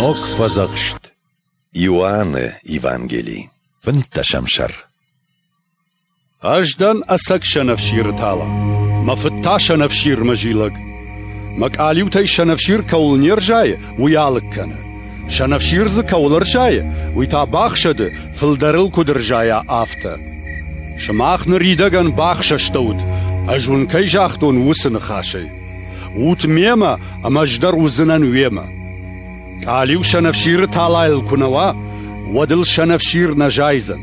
Ног фӕдзӕхст. Иоанны Евангели. Фынддӕсӕм сӕр. Ӕз дӕн ӕцӕг сӕнӕфсиры тала, мӕ фыд та сӕнӕфсирмӕ зилӕг. Мӕ къалиутӕй сӕнӕфсир кӕуыл не рзайы, уый алыг кӕны. Сӕнӕфсир дзы кӕуыл ӕрзайы, уый та бахсӕды, фылдӕр ыл куыд ӕрзайа, афтӕ. Сымах ныридӕгӕн бахсӕстӕут, ӕз уын кӕй загътон, уыцы ныхасӕй. Ут мемӕ, ӕмӕ ӕз дӕр уыдзынӕн уемӕ. Къалиу сӕнӕфсиры талайыл куы нӕ уа, уӕд ыл сӕнӕфсир нӕ зайдзӕн.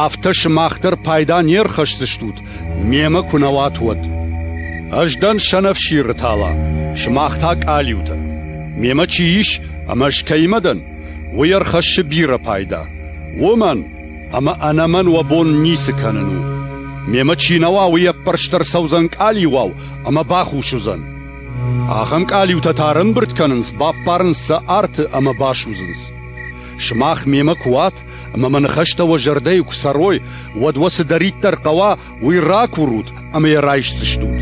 Афтӕ сымах дӕр пайда не рхӕсдзыстут, мемӕ куы нӕ уат, уӕд. Ӕз дӕн сӕнӕфсиры тала, сымах та къалиутӕ. Мемӕ чи ис ӕмӕ ӕз кӕимӕ дӕн, уый ӕрхӕссы бирӕ пайда. Уымӕн, ӕмӕ ӕнӕ мӕн уӕ бон ницы кӕнын у. Мемӕ чи нӕ уа, уый ӕппӕрст ӕрцӕудзӕн къалиуау ӕмӕ бахус уыдзӕн. Ахӕм къалиутӕ та ӕрӕмбырд кӕнынц, баппарынц сӕ арты ӕмӕ басудзынц. Сымах мемӕ куы уат ӕмӕ мӕ ныхӕстӕ уӕ зӕрдӕйы куы цӕрой, уӕд уӕ цыдӕриддӕр хъӕуа, уый ракурут ӕмӕ йӕ райсдзыстут.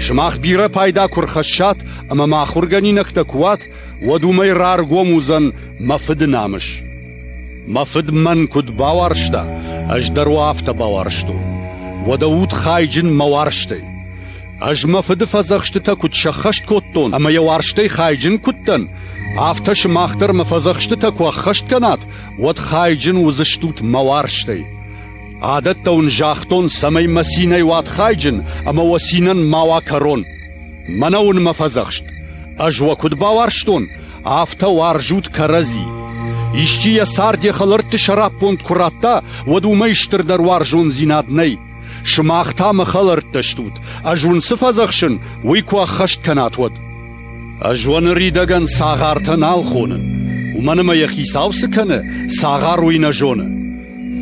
Сымах бирӕ пайда куы рхӕссат ӕмӕ мӕ ахуыргӕнинӕгтӕ куы уат, уӕд уымӕй раргом уыдзӕн мӕ Фыды намыс. Мӕ Фыд мӕн куыд бауарзта, ӕз дӕр уӕ афтӕ бауарзтон. Уӕдӕ ут хайджын мӕ уарзтӕй. Ӕз мӕ Фыды фӕдзӕхстытӕ куыд сӕххӕст кодтон ӕмӕ йӕ уарзтӕй хайджын куыд дӕн, афтӕ сымах дӕр мӕ фӕдзӕхстытӕ куы ӕххӕст кӕнат, уӕд хайджын уыдзыстут мӕ уарзтӕй. Адӕттӕ уын загътон, цӕмӕй мӕ цинӕй уат хайджын ӕмӕ уӕ цинӕн ма уа кӕрон. Мӕнӕ уын мӕ фӕдзӕхст. Ӕз уӕ куыд бауарзтон, афтӕ уарзут кӕрӕдзи. Исчи йӕ цард йӕ хӕлӕртты сӕраппонд куы радта, уӕд уымӕй стырдӕр уарзондзинад нӕй. Сымах та мӕ хӕлӕрттӕ стут, ӕз уын цы фӕдзӕхсын, уый куы ӕххӕст кӕнат, уӕд. Ӕз уӕ ныридӕгӕн цагъартӕ нал хонын, уымӕн ӕмӕ йӕ хицау цы кӕны, цагъар уый нӕ зоны.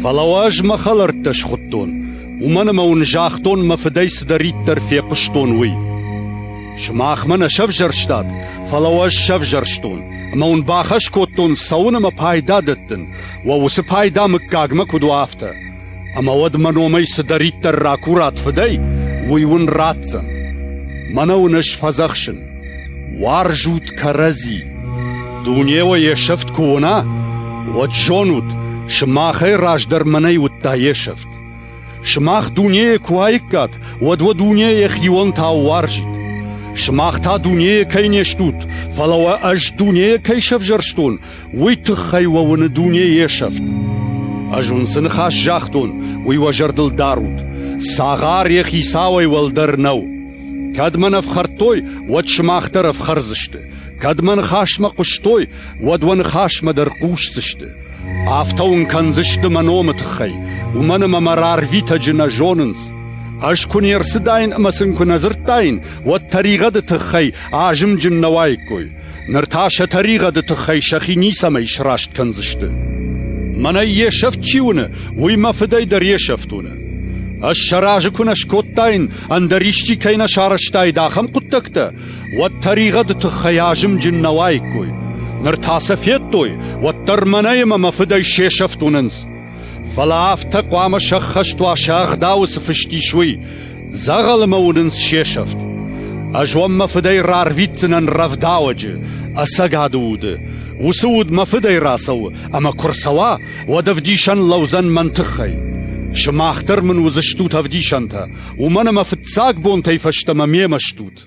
Фӕлӕ уӕ ӕз мӕ хӕлӕрттӕ схуыдтон, уымӕн ӕмӕ уын загътон, мӕ фыдӕй цыдӕриддӕр фехъуыстон, уый. Сымах мӕ нӕ сӕвзӕрстат, фӕлӕ уӕ ӕз сӕвзӕрстон, ӕмӕ уын бахӕс кодтон цӕуын ӕмӕ пайда дӕттын, уӕ уыцы пайда мыггагмӕ куыд уа, афтӕ. Ӕмӕ уӕд мӕ номӕй цыдӕриддӕр ракурат фыдӕй, уый уын ратдзӕн. Мӕнӕ уын ӕз фӕдзӕхсын: уарзут кӕрӕдзи. Дуне уӕ йе сӕфт куы уына, уӕд зонут, сымахӕй раздӕр мӕнӕй уыдта йе сӕфт. Сымах дунейы куы уаиккат, уӕд уӕ дуне йӕхионтау уарзид. Сымах та дунейы кӕй не стут, фӕлӕ уӕ ӕз дунейы кӕй сӕвзӕрстон, уый тыххӕй уӕ уыны дуне йе сӕфт. Ӕз уын цы ныхас загътон, уый уӕ зӕрдыл дарут. Цагъар йӕ хицауӕй уӕлдӕр нӕу. Кӕд мӕн ӕфхӕрдтой, уӕд сымах дӕр ӕфхӕрдзысты. Кӕд мӕ ныхасмӕ хъуыстой, уӕд уӕ ныхасмӕ дӕр хъусдзысты. Афтӕ уын кӕндзысты мӕ номы тыххӕй, уымӕн ӕмӕ мӕ рарвитӕджы нӕ зонынц. Ӕз куы не рцыдаин ӕмӕ сын куы нӕ дзырдтаин, уӕд тӕригъӕды тыххӕй азымджын нӕ уаиккой. Ныр та сӕ тӕригъӕды тыххӕй сӕхи ницӕмӕй сраст кӕндзысты. Мӕнӕй йе сӕфт чи уыны, уый мӕ фыдӕй дӕр йе сӕфт уыны. Ӕз сӕ разы куы нӕ скодтаин, ӕндӕр исчи кӕй нӕ сарӕзтаид ахӕм хъуыддӕгтӕ, уӕд тӕригъӕды тыххӕй азымджын нӕ уаиккой. Ныр та сӕ федтой, уӕддӕр мӕнӕй ӕмӕ мӕ фыдӕй се сӕфт уынынц. Фӕлӕ афтӕ хъуамӕ сӕххӕст уа сӕ ӕгъдауы цы фыст ис, уый, дзӕгъӕлы мӕ уынынц се сӕфт. Ӕз уӕм мӕ фыдӕй рарвитдзынӕн рӕвдауӕджы, ӕцӕгады уды. Уыцы уд мӕ фыдӕй рацӕуы, ӕмӕ куы рцӕуа, уӕд ӕвдисӕн лӕудзӕн мӕн тыххӕй. Сымах дӕр мын уыдзыстут ӕвдисӕнтӕ, уымӕн ӕмӕ фыццаг бонтӕй фӕстӕмӕ мемӕ стут.